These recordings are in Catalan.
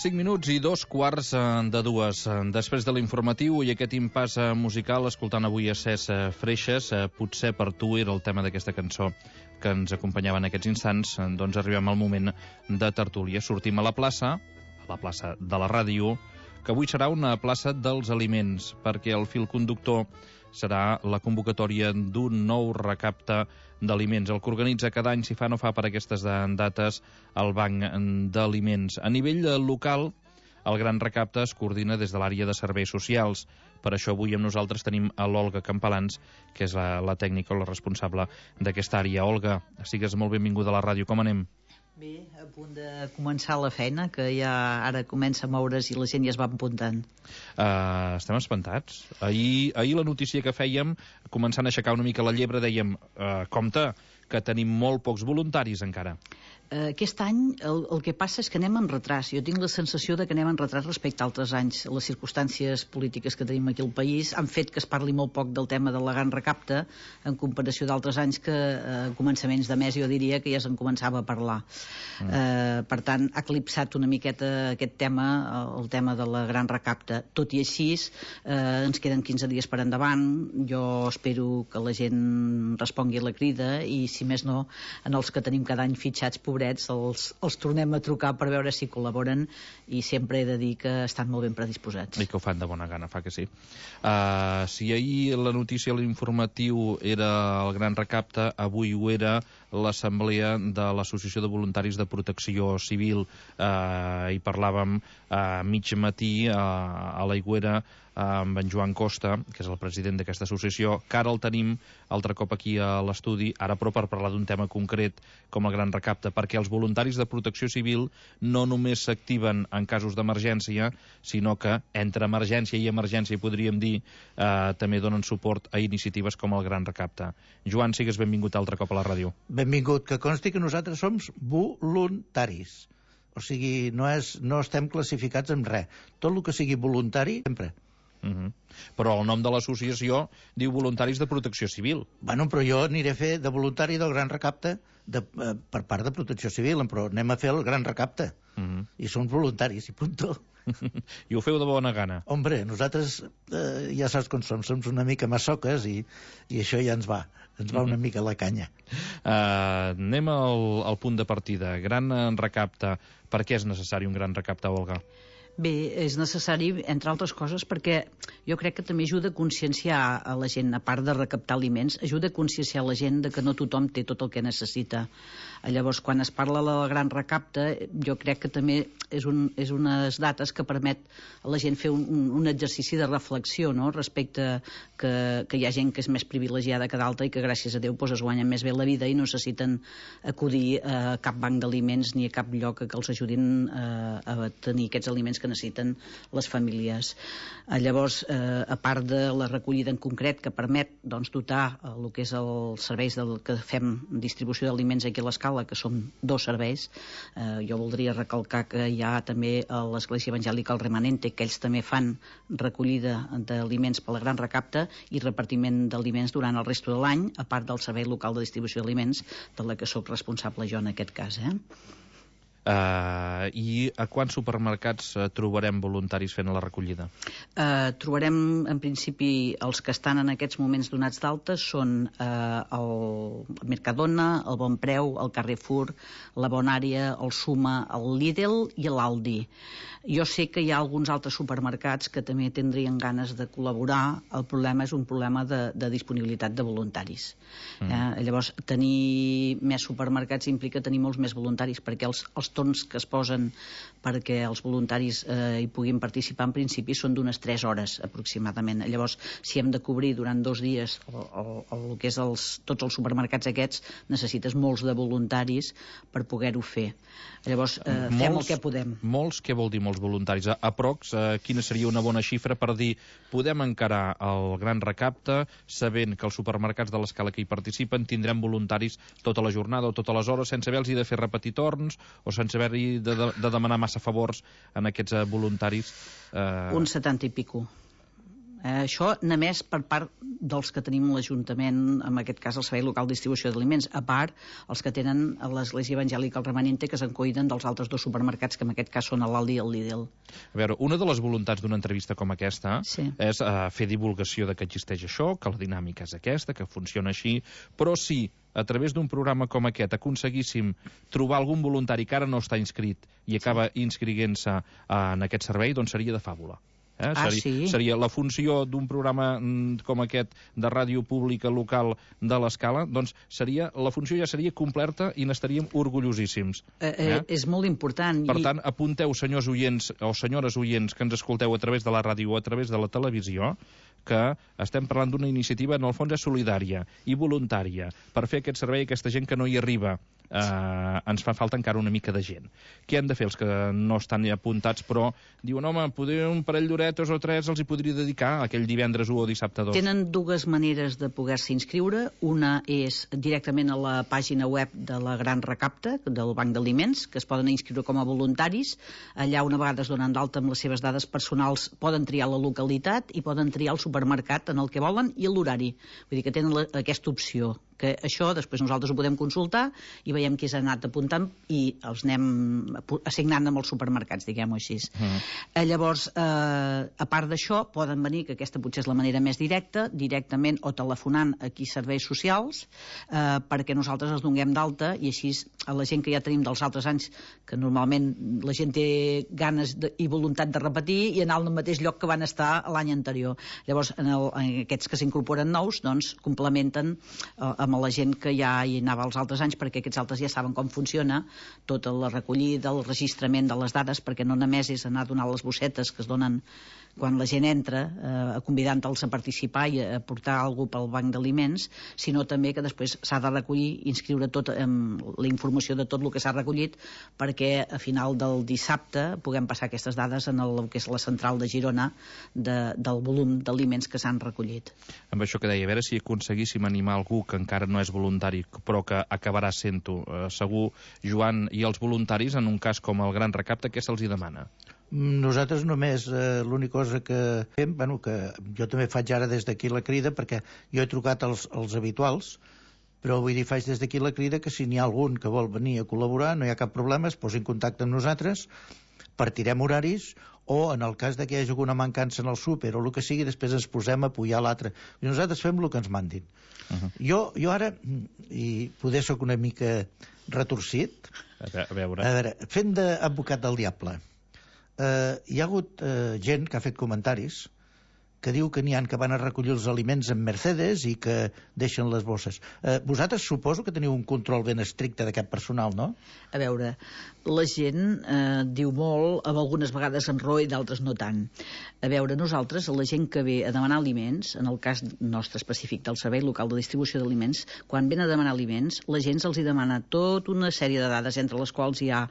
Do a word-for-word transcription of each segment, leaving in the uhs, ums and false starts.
cinc minuts i dos quarts de dues. Després de l'informatiu i aquest impàs musical, escoltant avui a Cés Freixes, potser per tu era el tema d'aquesta cançó que ens acompanyava en aquests instants, doncs arribem al moment de tertúlia. Sortim a la plaça, a la plaça de la ràdio, que avui serà una plaça dels aliments, perquè el fil conductor serà la convocatòria d'un nou recapte d'aliments, el que organitza cada any, si fa no fa per aquestes dates, el Banc d'Aliments. A nivell local, el gran recapte es coordina des de l'àrea de serveis socials. Per això avui amb nosaltres tenim a l'Olga Campalans, que és la, la tècnica o la responsable d'aquesta àrea. Olga, sigues molt benvinguda a la ràdio. Com anem? Bé, a punt de començar la feina, que ja ara comença a moure's i la gent ja es va apuntant. Uh, estem espantats. Ahir, ahir la notícia que fèiem, començant a aixecar una mica la llebre, dèiem, uh, compte, que tenim molt pocs voluntaris encara. Uh, aquest any el, el que passa és que anem en retras. Jo tinc la sensació de que anem en retras respecte a altres anys. Les circumstàncies polítiques que tenim aquí al país han fet que es parli molt poc del tema de la gran recapte en comparació d'altres anys que a uh, començaments de mes jo diria que ja se'n començava a parlar. Mm. Uh, per tant, ha eclipsat una miqueta aquest tema, el tema de la gran recapte. Tot i així, uh, ens queden quinze dies per endavant. Jo espero que la gent respongui a la crida i, si més no, en els que tenim cada any fitxats, pobrets, els, els tornem a trucar per veure si col·laboren, i sempre he de dir que estan molt ben predisposats. I que ho fan de bona gana, fa que sí. Uh, si ahir la notícia, l'informatiu, era el gran recapte, avui ho era l'assemblea de l'Associació de Voluntaris de Protecció Civil. Uh, hi parlàvem a uh, mig matí uh, a l'Aigüera amb en Joan Costa, que és el president d'aquesta associació, que ara el tenim altre cop aquí a l'estudi, ara però per parlar d'un tema concret com el gran recapte, perquè els voluntaris de protecció civil no només s'activen en casos d'emergència, sinó que entre emergència i emergència, podríem dir, eh, també donen suport a iniciatives com el gran recapte. Joan, sigues benvingut altre cop a la ràdio. Benvingut, que consti que nosaltres som voluntaris. O sigui, no, és, no estem classificats en res. Tot el que sigui voluntari, sempre. Uh-huh. Però el nom de l'associació diu Voluntaris de Protecció Civil. Bueno, però jo aniré a fer de voluntari del gran recapte de, eh, per part de Protecció Civil, però anem a fer el gran recapte. Uh-huh. I som voluntaris, i punto. I ho feu de bona gana. Hombre, nosaltres eh, ja saps com som, som una mica massoques i, i això ja ens va, ens va una mica la canya. Uh, anem al, al punt de partida. Gran recapte. Per què és necessari un gran recapte, Olga? Bé, és necessari, entre altres coses, perquè jo crec que també ajuda a conscienciar a la gent, a part de recaptar aliments, ajuda a conscienciar la gent de que no tothom té tot el que necessita. Llavors, quan es parla de la gran recapte, jo crec que també és, un, és unes dates que permet a la gent fer un, un, un exercici de reflexió, no?, respecte que, que hi ha gent que és més privilegiada que d'altra i que gràcies a Déu pues, es guanyen més bé la vida i no necessiten acudir a cap banc d'aliments ni a cap lloc que els ajudin a, a tenir aquests aliments que necessiten les famílies. Llavors, eh, a part de la recollida en concret que permet doncs, dotar el que és els serveis del que fem distribució d'aliments aquí a l'escala, que són dos serveis, eh, jo voldria recalcar que hi ha també a l'Església Evangèlica el Remanente, que ells també fan recollida d'aliments per la gran recapte i repartiment d'aliments durant el resto de l'any, a part del servei local de distribució d'aliments, de la que sóc responsable jo en aquest cas, eh? Uh, I a quants supermercats uh, trobarem voluntaris fent la recollida? Uh, trobarem en principi els que estan en aquests moments donats d'alta són uh, el Mercadona, el Bon Preu, el Carrefour, la Bonària, el Suma, el Lidl i l'Aldi. Jo sé que hi ha alguns altres supermercats que també tindrien ganes de col·laborar. El problema és un problema de, de disponibilitat de voluntaris. Mm. Eh? Llavors, tenir més supermercats implica tenir molts més voluntaris, perquè els, els torns que es posen perquè els voluntaris eh, hi puguin participar en principi són d'unes tres hores aproximadament. Llavors, si hem de cobrir durant dos dies el, el, el, el que és els, tots els supermercats aquests, necessites molts de voluntaris per poder-ho fer. Llavors, eh, molts, fem el que podem. Molts, què vol dir molts voluntaris? A, aprox, eh, quina seria una bona xifra per dir podem encarar el gran recapte sabent que els supermercats de l'escala que hi participen tindrem voluntaris tota la jornada o totes les hores sense haver-los de fer repetir torns o sense haver-hi de, de, de demanar massa favors en aquests uh, voluntaris. Uh... Un setanta i pico. Eh, això només per part dels que tenim l'Ajuntament, en aquest cas el Servei Local de Distribució d'Aliments, a part els que tenen l'Església Evangèlica el Remanente, que se'n cuiden dels altres dos supermercats, que en aquest cas són l'Aldi i el Lidl. A veure, una de les voluntats d'una entrevista com aquesta sí. és uh, fer divulgació de que existeix això, que la dinàmica és aquesta, que funciona així, però si a través d'un programa com aquest aconseguíssim trobar algun voluntari que ara no està inscrit i acaba inscriguent-se uh, en aquest servei, doncs seria de fàbula. Eh? Ah, seria, sí? seria la funció d'un programa mm, com aquest de ràdio pública local de l'Escala, doncs seria, la funció ja seria completa i n'estaríem orgullosíssims. Eh, eh, eh? És molt important. Per i... tant, apunteu, senyors oients o senyores oients que ens escolteu a través de la ràdio o a través de la televisió, que estem parlant d'una iniciativa, en el fons és solidària i voluntària, per fer aquest servei a aquesta gent que no hi arriba. Uh, ens fa falta encara una mica de gent. Què han de fer els que no estan apuntats, però diuen, home, poder un parell d'horetes o tres els hi podria dedicar aquell divendres u o dissabte dos? Tenen dues maneres de poder-se inscriure. Una és directament a la pàgina web de la Gran Recapta, del Banc d'Aliments, que es poden inscriure com a voluntaris. Allà, una vegada es donen d'alta amb les seves dades personals, poden triar la localitat i poden triar el supermercat en el que volen i l'horari. Vull dir que tenen la, aquesta opció, que això després nosaltres ho podem consultar i veiem qui s'ha anat apuntant i els anem assignant amb els supermercats, diguem-ho així. Mm. Eh, llavors, eh, a part d'això, poden venir, que aquesta potser és la manera més directa, directament o telefonant aquí serveis socials, eh, perquè nosaltres els donem d'alta i així a la gent que ja tenim dels altres anys, que normalment la gent té ganes de, i voluntat de repetir i anar al mateix lloc que van estar l'any anterior. Llavors, en, el, en aquests que s'incorporen nous, doncs, complementen eh, amb amb la gent que ja hi anava els altres anys, perquè aquests altres ja saben com funciona tota la recollida, el registrament de les dades, perquè no només és anar a donar les bossetes que es donen quan la gent entra, eh, convidant-los a participar i a portar algú pel banc d'aliments, sinó també que després s'ha de recollir, inscriure tot eh, la informació de tot el que s'ha recollit, perquè a final del dissabte puguem passar aquestes dades en el que és la central de Girona de, del volum d'aliments que s'han recollit. Amb això que deia, a veure si aconseguíssim animar algú que encara no és voluntari, però que acabarà sent-ho. Eh, segur, Joan, i els voluntaris, en un cas com el Gran Recapte, què se'ls hi demana? Nosaltres només, eh, l'única cosa que fem, bueno, que jo també faig ara des d'aquí la crida, perquè jo he trucat als, als habituals, però vull dir, faig des d'aquí la crida que si n'hi ha algun que vol venir a col·laborar, no hi ha cap problema, es posi en contacte amb nosaltres, partirem horaris, o en el cas de que hi hagi alguna mancança en el súper o el que sigui, després ens posem a apujar l'altre. I nosaltres fem el que ens mandin. Uh -huh. jo, jo ara, i poder soc una mica retorcit, a veure, a veure fent d'advocat del diable, eh, hi ha hagut eh, gent que ha fet comentaris que diu que n'hi ha que van a recollir els aliments en Mercedes i que deixen les bosses. Eh, vosaltres suposo que teniu un control ben estricte d'aquest personal, no? A veure, la gent eh, diu molt, amb algunes vegades amb raó i d'altres no tant. A veure, nosaltres, la gent que ve a demanar aliments, en el cas nostre específic del Servei Local de Distribució d'Aliments, quan ven a demanar aliments, la gent se'ls hi demana tota una sèrie de dades, entre les quals hi ha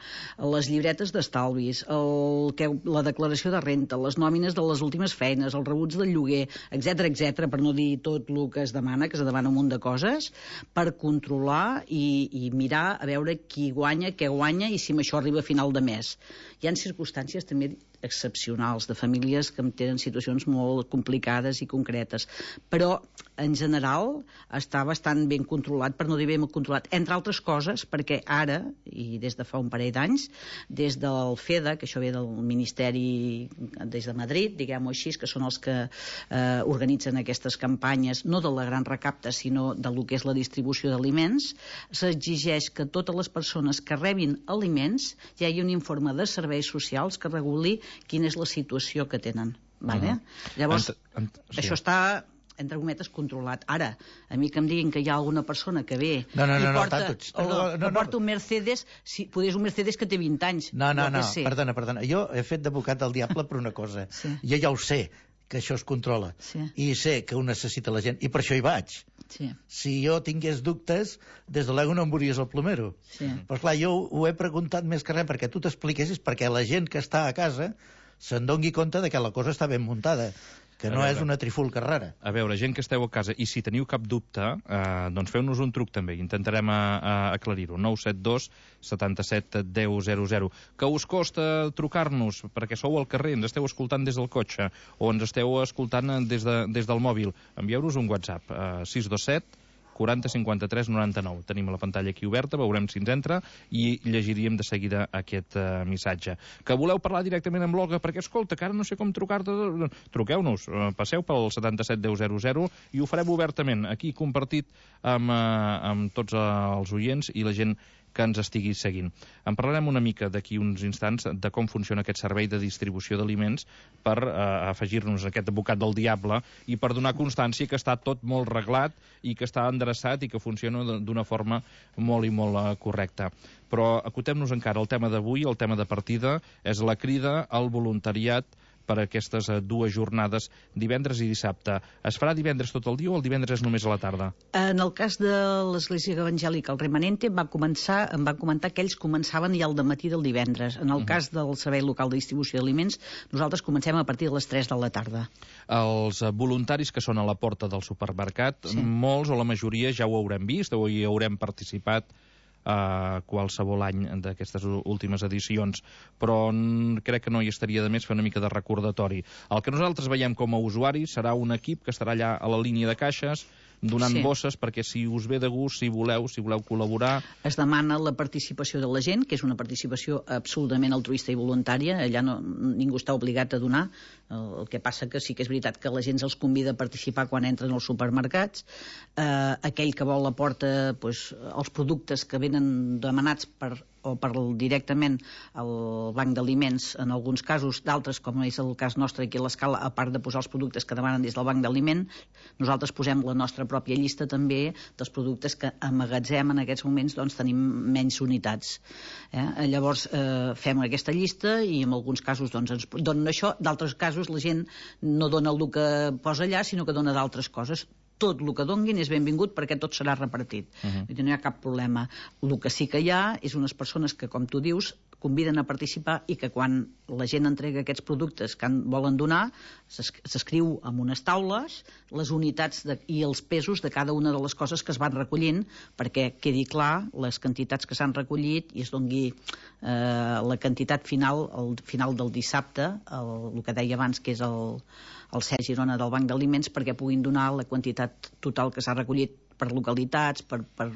les llibretes d'estalvis, el, que, la declaració de renta, les nòmines de les últimes feines, els rebuts del lloguer, etcètera, etcètera, per no dir tot el que es demana, que es demana un munt de coses, per controlar i, i mirar a veure qui guanya, què guanya i si això arriba a final de mes. Hi ha circumstàncies també excepcionals de famílies que tenen situacions molt complicades i concretes, però en general està bastant ben controlat, per no dir ben controlat, entre altres coses perquè ara, i des de fa un parell d'anys, des del FEDA, que això ve del Ministeri des de Madrid, diguem-ho així, que són els que eh, organitzen aquestes campanyes, no de la Gran Recapta, sinó de lo que és la distribució d'aliments, s'exigeix que totes les persones que rebin aliments hi hagi un informe de serveis socials que reguli quina és la situació que tenen. Vale? Uh -huh. Llavors, ent, ent, sí. això està, entre cometes, controlat. Ara, a mi que em diguin que hi ha alguna persona que ve no, no, no, i porta, no, tots, perdó, no, no, que porta un Mercedes, si podés un Mercedes que té vint anys. No, no, no, no perdona, perdona. Jo he fet d'advocat del diable per una cosa. Sí. Jo ja ho sé, que això es controla. Sí. I sé que ho necessita la gent, i per això hi vaig. Sí. Si jo tingués dubtes, des de l'ego no em veuries el plomero. Sí. Però clar, jo ho he preguntat més que res perquè tu t'expliquessis, perquè la gent que està a casa se'n doni compte de que la cosa està ben muntada. que no és una trifulca rara. A veure, gent que esteu a casa, i si teniu cap dubte, eh, doncs feu-nos un truc també, intentarem a, a aclarir-ho. nou set dos setanta-set deu zero zero. Que us costa trucar-nos perquè sou al carrer, ens esteu escoltant des del cotxe o ens esteu escoltant des, de, des del mòbil? Envieu-nos un WhatsApp, eh, sis dos set quaranta cinquanta-tres noranta-nou. Tenim la pantalla aquí oberta, veurem si ens entra i llegiríem de seguida aquest uh, missatge. Que voleu parlar directament amb l'Olga, perquè, escolta, que ara no sé com trucar-te, truqueu-nos, uh, passeu pel setanta-set deu zero zero i ho farem obertament, aquí compartit amb, uh, amb tots uh, els oients i la gent que ens estigui seguint. En parlarem una mica d'aquí uns instants de com funciona aquest servei de distribució d'aliments per eh, afegir-nos aquest advocat del diable i per donar constància que està tot molt reglat i que està endreçat i que funciona d'una forma molt i molt eh, correcta. Però acotem-nos encara al tema d'avui, el tema de partida, és la crida al voluntariat per a aquestes dues jornades, divendres i dissabte. Es farà divendres tot el dia o el divendres és només a la tarda? En el cas de l'Església Evangèlica, el Remanente va començar, em van comentar que ells començaven ja al dematí del divendres. En el uh -huh. cas del Servei Local de Distribució d'Aliments, nosaltres comencem a partir de les tres de la tarda. Els voluntaris que són a la porta del supermercat, sí. molts o la majoria ja ho haurem vist o hi haurem participat a qualsevol any d'aquestes últimes edicions, però crec que no hi estaria de més fer una mica de recordatori. El que nosaltres veiem com a usuaris serà un equip que estarà allà a la línia de caixes donant sí. bosses, perquè si us ve de gust, si voleu, si voleu col·laborar... Es demana la participació de la gent, que és una participació absolutament altruista i voluntària, allà no, ningú està obligat a donar, el que passa que sí que és veritat que la gent els convida a participar quan entren als supermercats, eh, aquell que vol aporta pues, els productes que venen demanats per o per directament al banc d'aliments en alguns casos, d'altres com és el cas nostre aquí a l'Escala, a part de posar els productes que demanen des del banc d'aliment, nosaltres posem la nostra pròpia llista també dels productes que amagatzem en aquests moments, doncs tenim menys unitats. Eh? Llavors eh, fem aquesta llista i en alguns casos doncs, ens donen això, d'altres casos la gent no dona el que posa allà, sinó que dona d'altres coses. Tot el que donguin és benvingut perquè tot serà repartit. Uh -huh. No hi ha cap problema. El que sí que hi ha és unes persones que, com tu dius, conviden a participar i que quan la gent entrega aquests productes que volen donar, s'escriu en unes taules les unitats de, i els pesos de cada una de les coses que es van recollint perquè quedi clar les quantitats que s'han recollit i es dongui eh, la quantitat final, al final del dissabte, el, el que deia abans que és el el C E Girona del Banc d'Aliments perquè puguin donar la quantitat total que s'ha recollit per localitats, per, per,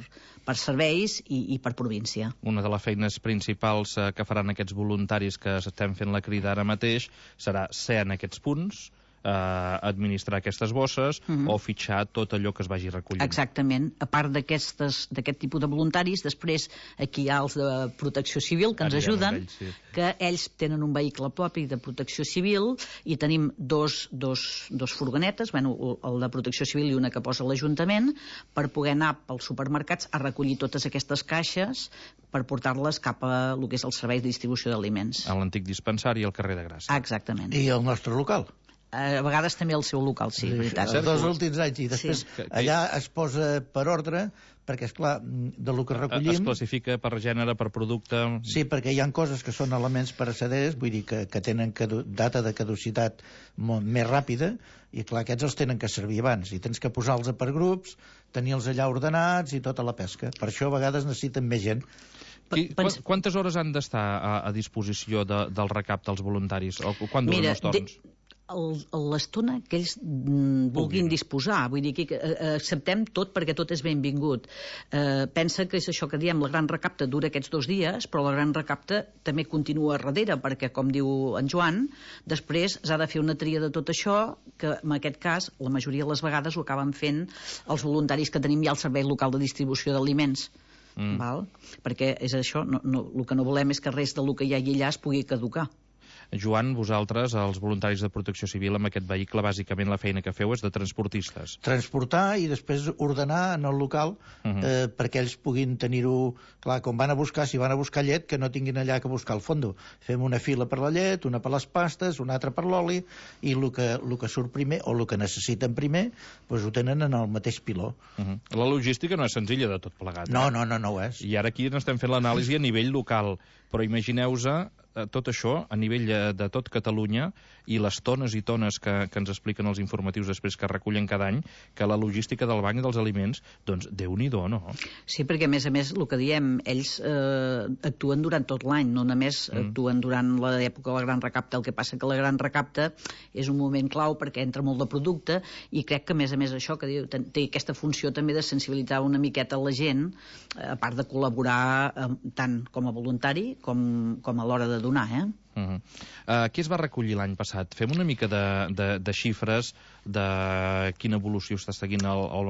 per serveis i, i per província. Una de les feines principals eh, que faran aquests voluntaris que estem fent la crida ara mateix serà ser en aquests punts, eh, administrar aquestes bosses uh -huh. o fitxar tot allò que es vagi recollint. Exactament. A part d'aquest tipus de voluntaris, després aquí hi ha els de Protecció Civil que ens Arribem ajuden, ells, sí. que ells tenen un vehicle propi de Protecció Civil i tenim dos, dos, dos furgonetes, bueno, el de Protecció Civil i una que posa l'Ajuntament, per poder anar pels supermercats a recollir totes aquestes caixes per portar-les cap a el que és el servei de distribució d'aliments. A l'antic dispensari al carrer de Gràcia. Exactament. I el nostre local. A vegades també el seu local, sí, sí veritat. Els dos últims anys, i després sí. allà es posa per ordre, perquè, esclar, de lo que recollim... Es classifica per gènere, per producte... Sí, perquè hi ha coses que són elements pereceders, vull dir que, que tenen cadu data de caducitat molt més ràpida, i clar, aquests els tenen que servir abans, i tens que posar-los per grups, tenir-los allà ordenats i tota la pesca. Per això a vegades necessiten més gent. I quantes hores han d'estar a, a disposició de, del recapte dels voluntaris? O quan duren Mira, els torns? De... l'estona que ells mm, vulguin disposar, vull dir que eh, acceptem tot perquè tot és benvingut. Eh, pensa que és això que diem, la gran recapta dura aquests dos dies, però la gran recapta també continua darrere, perquè com diu en Joan, després s'ha de fer una tria de tot això, que en aquest cas la majoria de les vegades ho acaben fent els voluntaris que tenim ja al Servei Local de Distribució d'Aliments. Mm. Val? Perquè és això, no, no, el que no volem és que res del que hi hagi allà es pugui caducar. Joan, vosaltres, els voluntaris de Protecció Civil, amb aquest vehicle, bàsicament la feina que feu és de transportistes. Transportar i després ordenar en el local uh -huh. eh, perquè ells puguin tenir-ho... Clar, com van a buscar, si van a buscar llet, que no tinguin allà que buscar al fondo. Fem una fila per la llet, una per les pastes, una altra per l'oli, i el que, el que surt primer, o el que necessiten primer, doncs ho tenen en el mateix piló. Uh -huh. La logística no és senzilla de tot plegat. No, no, no, no ho és. I ara aquí n'estem fent l'anàlisi a nivell local, però imagineu-vos tot això a nivell de tot Catalunya i les tones i tones que, que ens expliquen els informatius després que recullen cada any, que la logística del Banc dels Aliments, doncs Déu-n'hi-do, no? Sí, perquè a més a més, el que diem, ells eh, actuen durant tot l'any, no només mm. actuen durant l'època de la Gran Recapta. El que passa que la Gran Recapta és un moment clau perquè entra molt de producte i crec que a més a més això que diu, té aquesta funció també de sensibilitzar una miqueta la gent, a part de col·laborar eh, tant com a voluntari com, com a l'hora de donar, eh? Uh -huh. uh, què es va recollir l'any passat? Fem una mica de, de, de xifres de quina evolució està seguint el, el,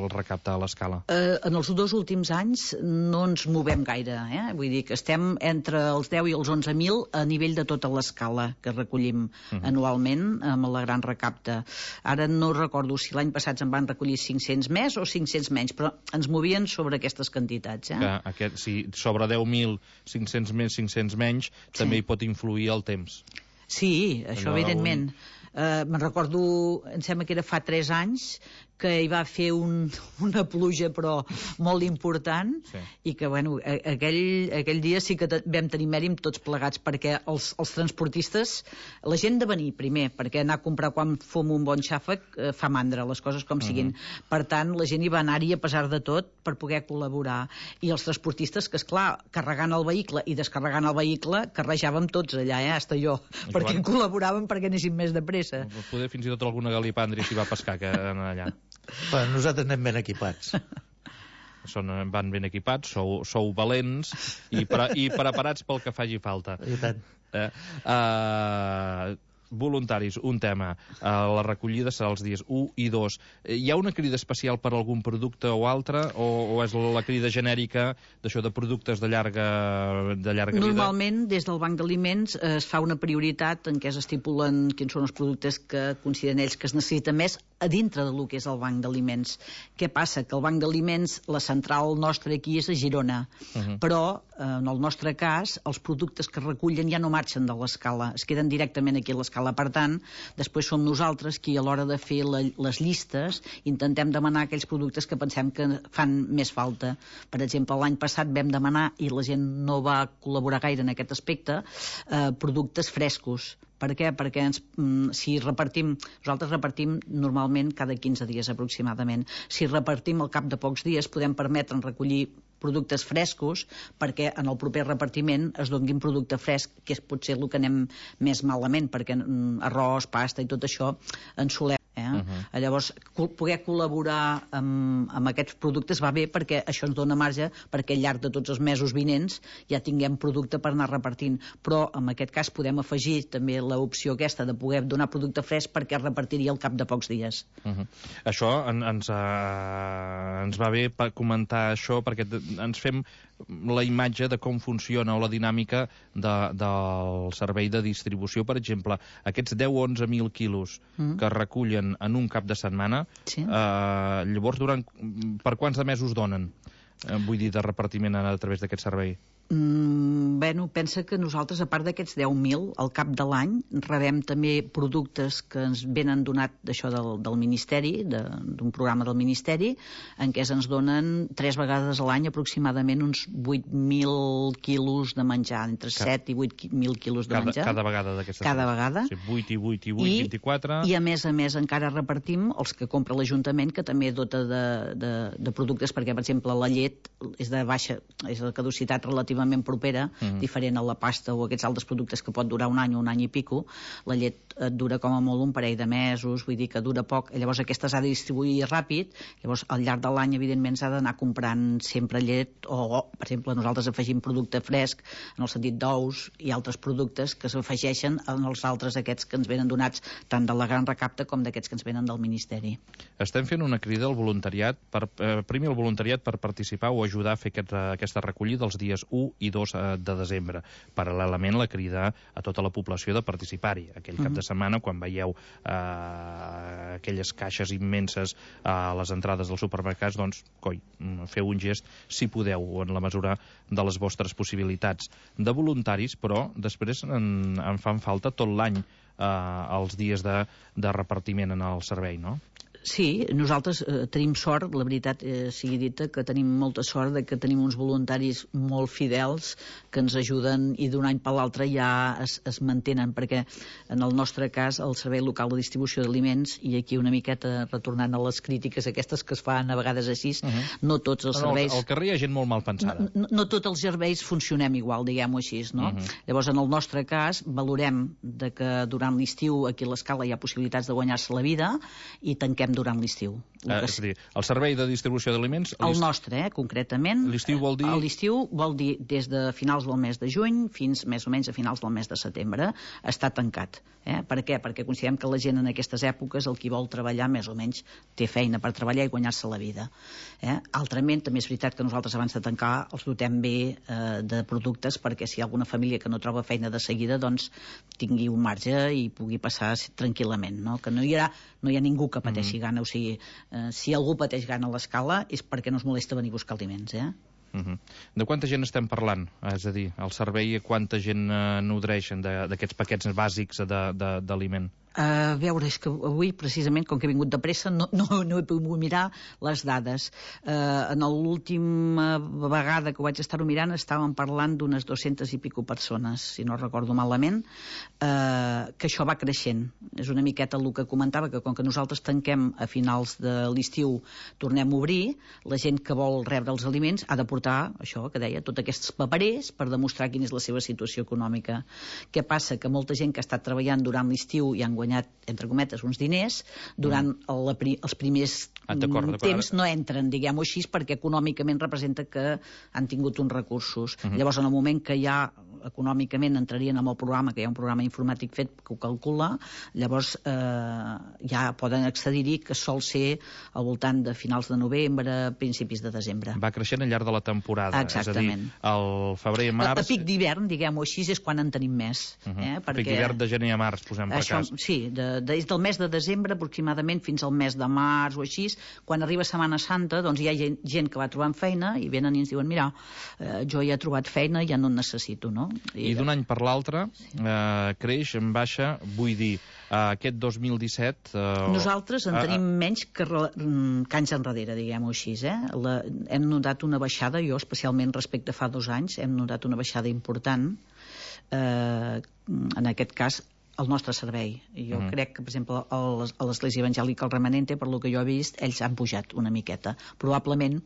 el recapte a l'escala. Uh, en els dos últims anys no ens movem gaire, eh? Vull dir que estem entre els deu i els onze mil a nivell de tota l'escala que recollim uh -huh. anualment amb la Gran Recapta. Ara no recordo si l'any passat en van recollir cinc-cents més o cinc-cents menys, però ens movien sobre aquestes quantitats. Eh? Que aquest, si sobre deu mil, cinc-cents més, cinc-cents menys, sí. també hi pot influir el temps. Sí, això Allò evidentment. Un... Uh, me'n recordo, em sembla que era fa tres anys, que hi va fer un, una pluja però molt important, sí. i que bueno, aquell, aquell dia sí que vam tenir mèrit tots plegats, perquè els, els transportistes, la gent de venir primer, perquè anar a comprar quan fom un bon xàfec eh, fa mandra, les coses com uh -huh. siguin. Per tant, la gent hi va anar-hi a pesar de tot per poder col·laborar. I els transportistes, que esclar, carregant el vehicle i descarregant el vehicle, carrejàvem tots allà, eh, hasta jo, I perquè van... col·laboràvem perquè anéssim més de pressa. Poder fins i tot alguna galipàndria s'hi va pescar que allà. Bueno, nosaltres anem ben equipats. Són, van ben equipats, sou, sou valents i, pre, i preparats pel que faci falta. I tant. Eh, uh, voluntaris, un tema. Uh, la recollida serà els dies u i dos. Hi ha una crida especial per algun producte o altre, o, o és la crida genèrica d'això de productes de llarga, de llarga vida? Normalment, des del Banc d'Aliments eh, es fa una prioritat en què es estipulen quins són els productes que consideren ells que es necessiten més a dintre del que és el Banc d'Aliments. Què passa? Que el Banc d'Aliments, la central nostra aquí és a Girona, uh -huh. però eh, en el nostre cas els productes que recullen ja no marxen de l'escala, es queden directament aquí a l'escala. Per tant, després som nosaltres qui a l'hora de fer la, les llistes intentem demanar aquells productes que pensem que fan més falta. Per exemple, l'any passat vam demanar, i la gent no va col·laborar gaire en aquest aspecte, eh, productes frescos. Per què? Perquè ens, si repartim, nosaltres repartim normalment cada quinze dies aproximadament. Si repartim al cap de pocs dies podem permetre'ns recollir productes frescos perquè en el proper repartiment es donguin producte fresc, que és potser el que anem més malament, perquè arròs, pasta i tot això en solem. Eh? Uh -huh. Llavors, poder col·laborar amb, amb aquests productes va bé perquè això ens dona marge perquè al llarg de tots els mesos vinents ja tinguem producte per anar repartint. Però en aquest cas podem afegir també l'opció aquesta de poder donar producte fresc perquè es repartiria al cap de pocs dies. Uh -huh. Això en, ens, uh, ens va bé per comentar això perquè ens fem la imatge de com funciona o la dinàmica de, del servei de distribució. Per exemple, aquests deu a onze mil quilos mm. que recullen en un cap de setmana, sí. eh, llavors durant, per quants de mesos donen? Eh, vull dir, de repartiment a través d'aquest servei. Mm, bueno, pensa que nosaltres, a part d'aquests deu mil, al cap de l'any, rebem també productes que ens venen donat d'això del, del Ministeri, d'un programa del Ministeri, en què ens donen tres vegades a l'any aproximadament uns vuit mil quilos de menjar, entre cada, set i vuit mil quilos de cada, menjar. Cada vegada d'aquestes. Cada vegada. Sí, vuit i vuit i vuit, I, vint-i-quatre... I a més a més encara repartim els que compra l'Ajuntament, que també dota de, de, de productes, perquè per exemple la llet és de baixa, és de caducitat relativament propera, mm. diferent a la pasta o aquests altres productes que pot durar un any o un any i pico. La llet et dura com a molt un parell de mesos, vull dir que dura poc, llavors aquesta s'ha de distribuir ràpid, llavors al llarg de l'any evidentment s'ha d'anar comprant sempre llet o, per exemple, nosaltres afegim producte fresc en el sentit d'ous i altres productes que s'afegeixen en els altres aquests que ens venen donats tant de la Gran Recapta com d'aquests que ens venen del Ministeri. Estem fent una crida al voluntariat, per, eh, primer al voluntariat per participar o ajudar a fer aquest, aquesta recollida els dies u i dos de desembre. Paral·lelament la crida a tota la població de participar-hi. Aquell cap de setmana, quan veieu eh, aquelles caixes immenses a les entrades dels supermercats, doncs, coi, feu un gest, si podeu, en la mesura de les vostres possibilitats. De voluntaris, però, després en, en fan falta tot l'any eh, els dies de, de repartiment en el servei, no? Sí, nosaltres eh, tenim sort, la veritat eh, sigui dita, que tenim molta sort de que tenim uns voluntaris molt fidels que ens ajuden i d'un any per l'altre ja es, es mantenen, perquè en el nostre cas el Servei Local de Distribució d'Aliments, i aquí una miqueta retornant a les crítiques aquestes que es fan a vegades així, uh -huh. no tots els serveis... Al carrer hi ha gent molt mal pensada. No, no, no tots els serveis funcionem igual, diguem-ho així, no? Uh -huh. Llavors, en el nostre cas, valorem de que durant l'estiu aquí a l'Escala hi ha possibilitats de guanyar-se la vida i tanquem durant l'estiu. Eh, és a dir, el servei de distribució d'aliments... El nostre, eh, concretament. L'estiu vol dir... L'estiu vol dir des de finals del mes de juny fins més o menys a finals del mes de setembre està tancat. Eh? Per què? Perquè considerem que la gent en aquestes èpoques, el qui vol treballar més o menys té feina per treballar i guanyar-se la vida. Eh? Altrament, també és veritat que nosaltres abans de tancar els dotem bé eh, de productes perquè si hi ha alguna família que no troba feina de seguida, doncs tingui un marge i pugui passar tranquil·lament, no? Que no hi ha, no hi ha ningú que pateixi mm -hmm. gana, o sigui, eh, si algú pateix gana a l'Escala és perquè no es molesta venir a buscar aliments, eh? Uh -huh. De quanta gent estem parlant? És a dir, el servei, quanta gent eh, nodreix d'aquests paquets bàsics d'aliment? A veure, és que avui, precisament, com que he vingut de pressa, no, no, no he pogut mirar les dades. Uh, en l'última vegada que ho vaig estar-ho mirant estàvem parlant d'unes dues-centes i pico persones, si no recordo malament, uh, que això va creixent. És una miqueta el que comentava, que com que nosaltres tanquem a finals de l'estiu, tornem a obrir, la gent que vol rebre els aliments ha de portar, això que deia, tots aquests paperers per demostrar quina és la seva situació econòmica. Què passa? Que molta gent que ha estat treballant durant l'estiu i han guanyat, entre cometes, uns diners, durant mm. la pri els primers ah, temps no entren, diguem-ho així, perquè econòmicament representa que han tingut uns recursos. Mm -hmm. Llavors, en el moment que ja econòmicament entrarien en el programa, que hi ha un programa informàtic fet que ho calcula, llavors eh, ja poden accedir-hi, que sol ser al voltant de finals de novembre, principis de desembre. Va creixent al llarg de la temporada. Exactament. És a dir, el febrer i març... A, a pic d'hivern, diguem-ho així, és quan en tenim més. Uh -huh. eh? Perquè... Pic d'hivern de gener a març, posem per Això, cas. Sí, de, de, del mes de desembre aproximadament fins al mes de març o així, quan arriba Setmana Santa, doncs hi ha gent, gent que va trobant feina i venen i ens diuen, mira, eh, jo ja he trobat feina, ja no en necessito, no? I, I d'un any per l'altre eh, creix en baixa, vull dir, eh, aquest dos mil disset... Eh, Nosaltres en eh, tenim menys que, que anys enrere, diguem-ho així, eh? La, hem notat una baixada, jo especialment respecte a fa dos anys, hem notat una baixada important, eh, en aquest cas, el nostre servei. Jo mm. crec que, per exemple, a l'Església Evangèlica el Remanente, per lo que jo he vist, ells han pujat una miqueta. Probablement,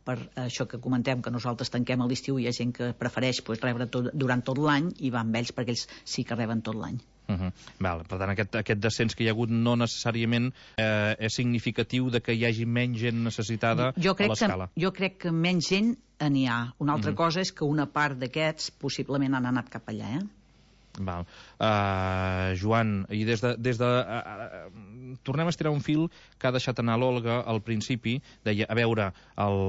per això que comentem, que nosaltres tanquem a l'estiu, hi ha gent que prefereix pues, rebre tot, durant tot l'any i va amb ells perquè ells sí que reben tot l'any. Uh -huh. Val, per tant, aquest, aquest descens que hi ha hagut no necessàriament eh, és significatiu de que hi hagi menys gent necessitada jo crec a l'Escala. Que, jo crec que menys gent n'hi ha. Una altra uh -huh. cosa és que una part d'aquests possiblement han anat cap allà, eh? Val. Uh, Joan, i des de... Des de uh, uh, tornem a estirar un fil que ha deixat anar l'Olga al principi. Deia, a veure, el,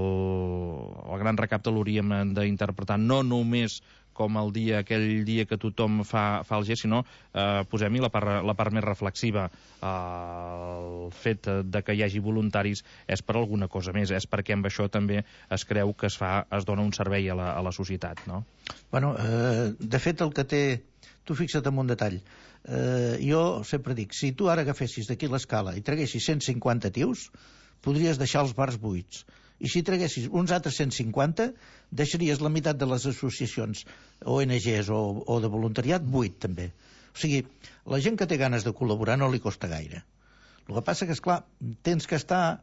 el gran recapte l'hauríem d'interpretar no només com el dia, aquell dia que tothom fa, fa el gest, sinó eh, posem-hi la, part, la part més reflexiva. Eh, el fet de que hi hagi voluntaris és per alguna cosa més, és perquè amb això també es creu que es fa, es dona un servei a la, a la societat, no? Bueno, eh, de fet el que té... Tu fixa't en un detall. Eh, jo sempre dic, si tu ara agafessis d'aquí l'Escala i traguessis cent cinquanta tios, podries deixar els bars buits. I si traguessis uns altres cent cinquanta, deixaries la meitat de les associacions O N Ges o, o de voluntariat buit, també. O sigui, la gent que té ganes de col·laborar no li costa gaire. El que passa que, esclar, tens que estar,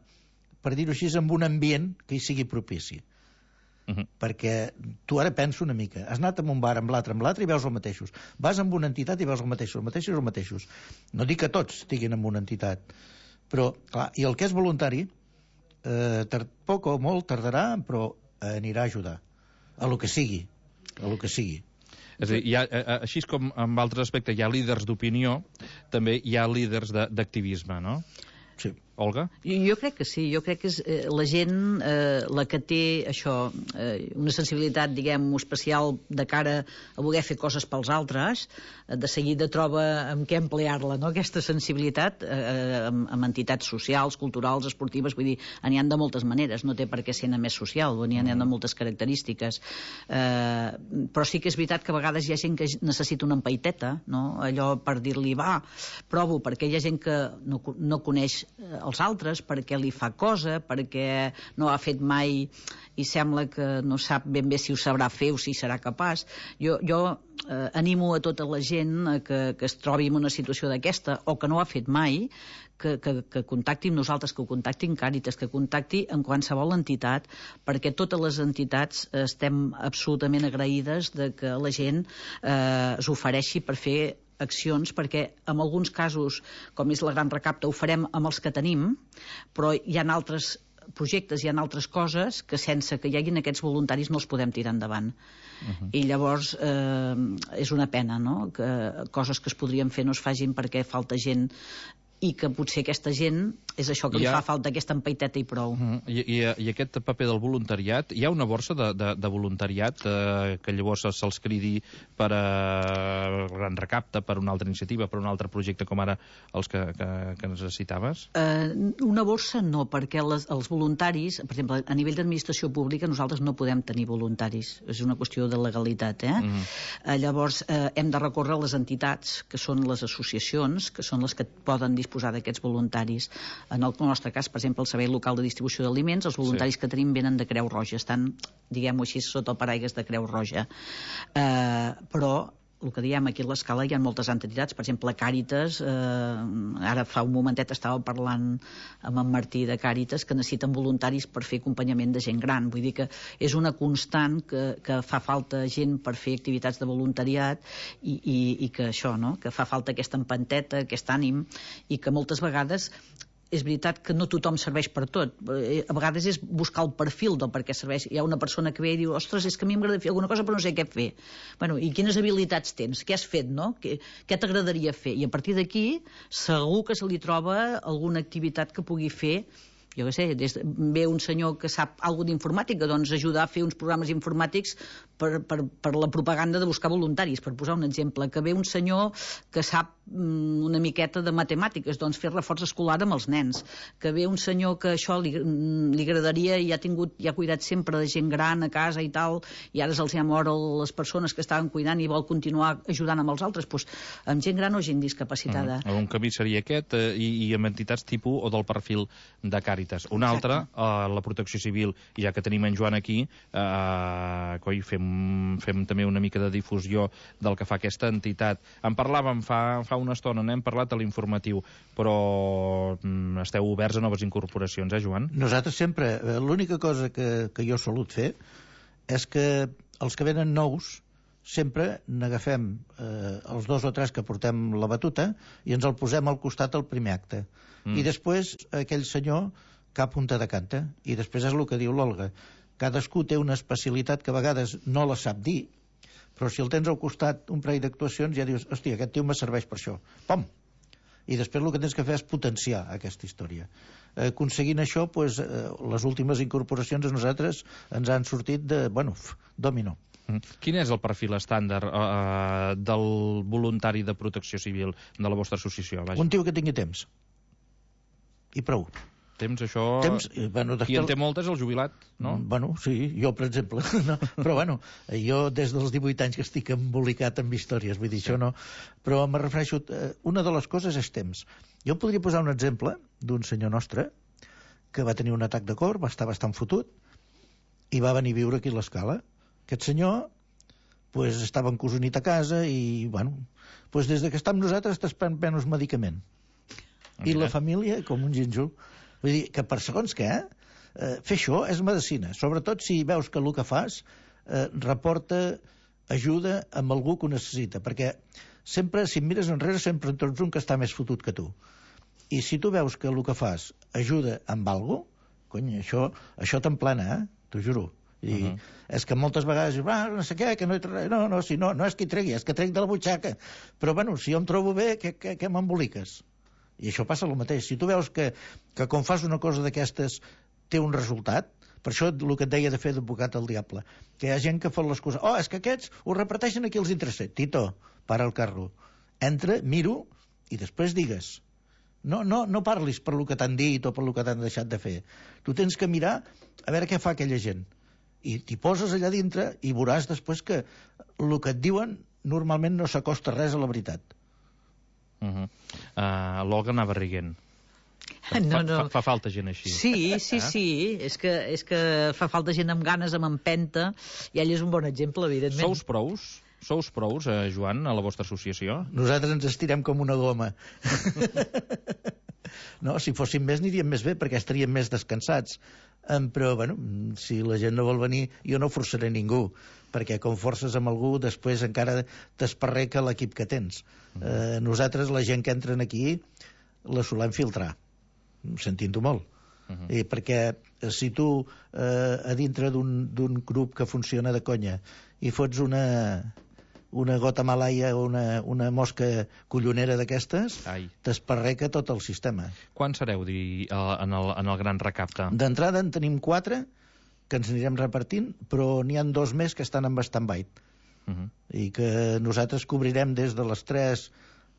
per dir-ho així, en un ambient que hi sigui propici. Uh -huh. Perquè tu ara pensa una mica, has anat a un bar amb l'altre, amb l'altre i veus els mateixos, vas amb una entitat i veus els mateixos, els mateixos, els mateixos. No dic que tots estiguin en una entitat, però clar, i el que és voluntari eh, tard, poc o molt tardarà, però eh, anirà a ajudar a lo que sigui, a lo que sigui. És a dir, hi ha, així com en altres aspectes hi ha líders d'opinió, també hi ha líders d'activisme, no? Sí. Olga? Jo crec que sí, jo crec que és eh, la gent eh, la que té això, eh, una sensibilitat, diguem, especial de cara a voler fer coses pels altres, eh, de seguida troba amb què emplear-la, no?, aquesta sensibilitat eh, amb, amb entitats socials, culturals, esportives, vull dir, n'hi ha de moltes maneres, no té per què ser més social, n'hi ha de moltes característiques, eh, però sí que és veritat que a vegades hi ha gent que necessita una empaiteta, no?, allò per dir-li, va, provo, perquè hi ha gent que no, no coneix als altres, perquè li fa cosa, perquè no ha fet mai i sembla que no sap ben bé si ho sabrà fer o si serà capaç. Jo, jo eh, animo a tota la gent eh, que, que es trobi en una situació d'aquesta o que no ho ha fet mai, que, que, que contacti amb nosaltres, que ho contacti amb Càritas, que contacti amb qualsevol entitat, perquè totes les entitats estem absolutament agraïdes de que la gent eh, s'ofereixi per fer accions, perquè en alguns casos, com és la Gran Recapta, ho farem amb els que tenim, però hi ha altres projectes, hi ha altres coses que sense que hi haguin aquests voluntaris no els podem tirar endavant. Uh-huh. I llavors eh, és una pena, no?, que coses que es podrien fer no es facin perquè falta gent, i que potser aquesta gent és això que li ha... fa falta, aquesta empaiteta i prou. Uh-huh. I, i, I aquest paper del voluntariat, hi ha una borsa de, de, de voluntariat eh, que llavors se'ls cridi per a Gran Recapta, per una altra iniciativa, per un altre projecte com ara els que, que, que necessitaves? Uh, una borsa no, perquè les, els voluntaris, per exemple, a nivell d'administració pública nosaltres no podem tenir voluntaris, és una qüestió de legalitat, eh? Uh-huh. uh, llavors uh, hem de recórrer a les entitats, que són les associacions, que són les que poden disposar d'aquests voluntaris. En el nostre cas, per exemple, el Servei Local de Distribució d'Aliments, els voluntaris sí. que tenim venen de Creu Roja, estan, diguem-ho així, sota el paraigües de Creu Roja. Eh, però el que diem aquí a l'escala hi ha moltes entitats, per exemple Càritas, eh, ara fa un momentet estava parlant amb en Martí de Càritas, que necessiten voluntaris per fer acompanyament de gent gran, vull dir que és una constant que, que fa falta gent per fer activitats de voluntariat i, i, i que això, no?, que fa falta aquesta empenteta, aquest ànim, i que moltes vegades és veritat que no tothom serveix per tot. A vegades és buscar el perfil del per què serveix. Hi ha una persona que ve i diu, ostres, és que a mi m'agrada fer alguna cosa però no sé què fer. Bueno, i quines habilitats tens? Què has fet, no? Què, què t'agradaria fer? I a partir d'aquí segur que se li troba alguna activitat que pugui fer. Jo què sé, des de, ve un senyor que sap alguna d'informàtica, doncs ajudar a fer uns programes informàtics per, per, per la propaganda de buscar voluntaris, per posar un exemple. Que ve un senyor que sap mm, una miqueta de matemàtiques, doncs fer reforç escolar amb els nens. Que ve un senyor que això li, li agradaria i ha tingut, i ha cuidat sempre de gent gran a casa i tal, i ara se'ls ha mort les persones que estaven cuidant i vol continuar ajudant amb els altres, doncs amb gent gran o gent discapacitada. Uh-huh. Un camí seria aquest, eh, i, i amb entitats tipus o del perfil de Càritas. Un altre, eh, la Protecció Civil, i ja que tenim en Joan aquí, eh, coi, fem, fem també una mica de difusió del que fa aquesta entitat. En parlàvem fa, fa una estona, n'hem parlat a l'informatiu, però mm, esteu oberts a noves incorporacions, eh, Joan? Nosaltres sempre, l'única cosa que, que jo he solut fer és que els que venen nous sempre n'agafem eh, els dos o tres que portem la batuta i ens el posem al costat al primer acte. Mm. I després aquell senyor cap punta de canta. I després és el que diu l'Olga. Cadascú té una especialitat que a vegades no la sap dir, però si el tens al costat un parell d'actuacions ja dius, hòstia, aquest tio me serveix per això. Pom! I després el que tens que fer és potenciar aquesta història. Eh, aconseguint això, pues, eh, les últimes incorporacions a nosaltres ens han sortit de, bueno, domino. Quin és el perfil estàndard uh, del voluntari de Protecció Civil de la vostra associació? Vaja. Un tio que tingui temps. I prou. Temps, això... Temps, bueno, qui en té moltes, el jubilat, no? Bueno, sí, jo, per exemple. No, però, bueno, jo des dels divuit anys que estic embolicat amb històries, vull dir, sí. Això no... Però me refereixo... Una de les coses és temps. Jo podria posar un exemple d'un senyor nostre que va tenir un atac de cor, va estar bastant fotut, i va venir a viure aquí a l'Escala. Aquest senyor pues, estava encosonit a casa i, bueno, pues, des de que està amb nosaltres estàs prenent uns medicaments. I la família, com un gínjol. Vull dir que per segons què, eh, fer això és medicina. Sobretot si veus que el que fas eh, reporta ajuda amb algú que ho necessita. Perquè sempre, si em mires enrere, sempre en trobes un que està més fotut que tu. I si tu veus que el que fas ajuda amb alguna cosa, cony, això, això t'emplena, eh? T'ho juro. I uh-huh. És que moltes vegades dius, ah, no sé què, que no hi trec... No, no, si no, no és que hi tregui, és que trec de la butxaca. Però, bueno, si jo em trobo bé, què, què, què m'emboliques? I això passa el mateix. Si tu veus que, que quan fas una cosa d'aquestes té un resultat, per això el que et deia de fer d'advocat al diable, que hi ha gent que fa les coses, oh, és que aquests ho reparteixen aquí els interessos. Tito, para el carro. Entra, miro, i després digues. No, no, no parlis per lo que t'han dit o per lo que t'han deixat de fer. Tu tens que mirar a veure què fa aquella gent. I t'hi poses allà dintre i veuràs després que el que et diuen normalment no s'acosta res a la veritat. Uh-huh. uh, L'Olga anava riguent. No, no. Fa, fa falta gent així. Sí, sí, eh? sí. És que, és que fa falta gent amb ganes, amb empenta, i ell és un bon exemple, evidentment. Sous prous? Sous prous, eh, Joan, a la vostra associació? Nosaltres ens estirem com una goma. No, si fóssim més n'aniríem més bé, perquè estaríem més descansats. Um, però, bueno, si la gent no vol venir, jo no forçaré ningú, perquè com forces amb algú, després encara t'esparreca l'equip que tens. Mm. Uh, nosaltres, la gent que entren aquí, la solem filtrar, sentint-ho molt. Uh -huh. I perquè si tu eh, a dintre d'un grup que funciona de conya i fots una, una gota malaia o una, una mosca collonera d'aquestes, t'esparreca tot el sistema. Quan sereu di, en, el, en el gran recapte? D'entrada en tenim quatre que ens anirem repartint, però n'hi ha dos més que estan en stand-by. Uh -huh. I que nosaltres cobrirem des de les tres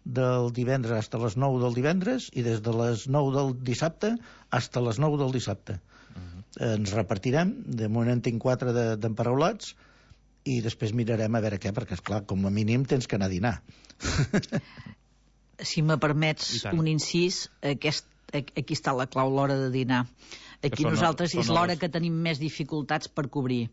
del divendres fins a les nou del divendres i des de les nou del dissabte fins a les nou del dissabte. Uh -huh. Ens repartirem, de moment en tinc quatre d'emparaulats, de, i després mirarem a veure què, perquè, esclar, com a mínim tens que anar a dinar. Si me permets un incís, aquest, aquí està la clau, l'hora de dinar. Aquí són, nosaltres són és l'hora les... que tenim més dificultats per cobrir,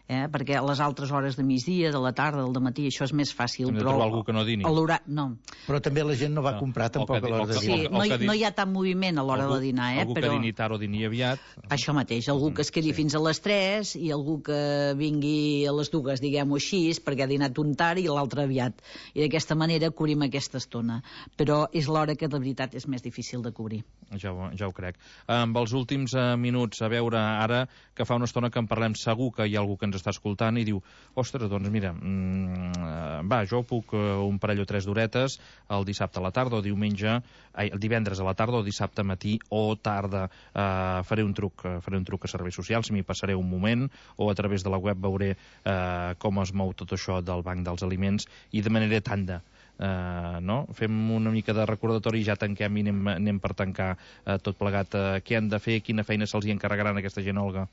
eh? Perquè a les altres hores de migdia, de la tarda, del matí, això és més fàcil. Hem de trobar algú que no dini. No. Però també la gent no va no. comprar tampoc a l'hora de dinar. Sí, no, hi, no hi ha tant moviment a l'hora de dinar. Eh? Algú però... que dini tard o dini aviat. Això mateix, algú que es quedi sí. fins a les tres i algú que vingui a les dues, diguem-ho així, perquè ha dinat un tard i l'altre aviat. I d'aquesta manera cobrim aquesta estona. Però és l'hora que de veritat és més difícil de cobrir. Ja ho, ja ho crec. Amb els últims uh, minuts, a veure, ara que fa una estona que en parlem, segur que hi ha algú que ens està escoltant i diu, ostres, doncs mira, mm, va, jo puc uh, un parell o tres d'horetes el dissabte a la tarda o diumenge, ai, el divendres a la tarda o dissabte matí o tarda. Uh, faré un truc, uh, faré un truc a serveis socials, m'hi passaré un moment, o a través de la web veuré uh, com es mou tot això del banc dels aliments i demanaré tanda. Uh, no? Fem una mica de recordatori i ja tanquem i anem, anem per tancar uh, tot plegat. Uh, què han de fer? Quina feina se'ls hi encarregaran a aquesta gent, Olga?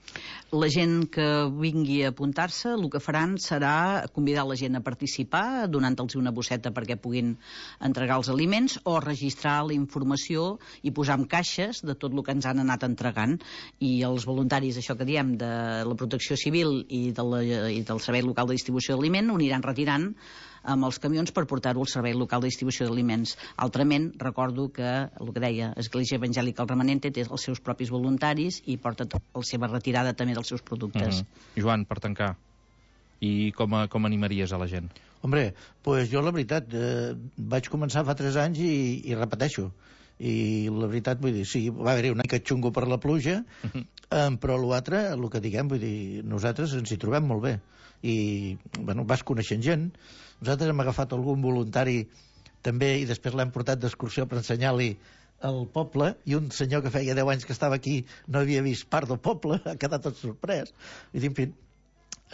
La gent que vingui a apuntar-se, el que faran serà convidar la gent a participar, donant-los una bosseta perquè puguin entregar els aliments, o registrar la informació i posar en caixes de tot el que ens han anat entregant. I els voluntaris, això que diem, de la Protecció Civil i, de la, i del Servei Local de Distribució d'Aliment, ho aniran retirant amb els camions per portar-ho al Servei Local de Distribució d'Aliments. Altrament, recordo que, el que deia, Església Evangèlica El Remanente té els seus propis voluntaris i porta la seva retirada també dels seus productes. Mm-hmm. Joan, per tancar, i com, a, com animaries a la gent? Hombre, pues jo la veritat, eh, vaig començar fa tres anys i, i repeteixo. I la veritat, vull dir, sí, va haver-hi una mica xungo per la pluja, mm-hmm. eh, però l'altre, el que diguem, vull dir, nosaltres ens hi trobem molt bé. I, bueno, vas coneixent gent. Nosaltres hem agafat algun voluntari també i després l'hem portat d'excursió per ensenyar-li el poble, i un senyor que feia deu anys que estava aquí no havia vist part del poble, ha quedat tot sorprès. I dir, en fi,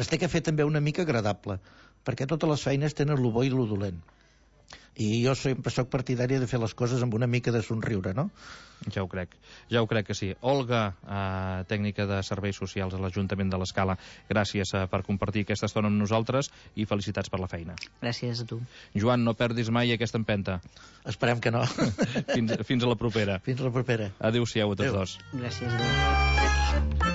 es té que fer també una mica agradable, perquè totes les feines tenen lo bo i lo dolent. I jo sempre soc partidària de fer les coses amb una mica de somriure, no? Ja ho crec, ja ho crec que sí. Olga, eh, tècnica de serveis socials a l'Ajuntament de l'Escala, gràcies eh, per compartir aquesta estona amb nosaltres i felicitats per la feina. Gràcies a tu. Joan, no perdis mai aquesta empenta. Esperem que no. fins, fins a la propera. Fins a la propera. Adéu-siau a tots Adéu. dos. Gràcies. Adéu.